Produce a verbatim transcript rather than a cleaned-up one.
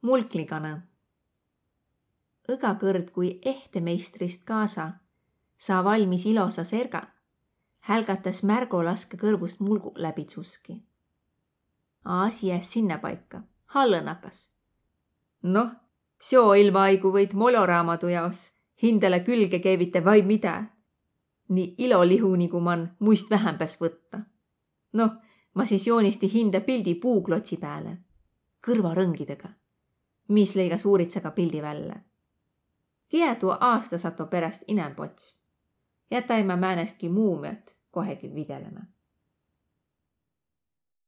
Mulkliganõ. Õga kõrd, kui ehtemeistrist kaasa saa valmis ilosa serga, hälgatas Märgo laskõ kõrvust mulgu läbi tsuski. Asi jääs sinnäpaika, hallõ nakas. Noh, seo ilmaaigu võit moloraamadu jaos hindäle külge keevitä vai midä. Nii ilolihu nigu man muist vähämbäs võtta. Noh, ma sis joonisti hindä pildi puuklotsi pääle. Kõrvarõngidega, mis leigas uuritsaga pildi vällä. Kiä tuo aastasato peräst inämb ots? Jätai ma määnestki muumiat kohegi videlemä.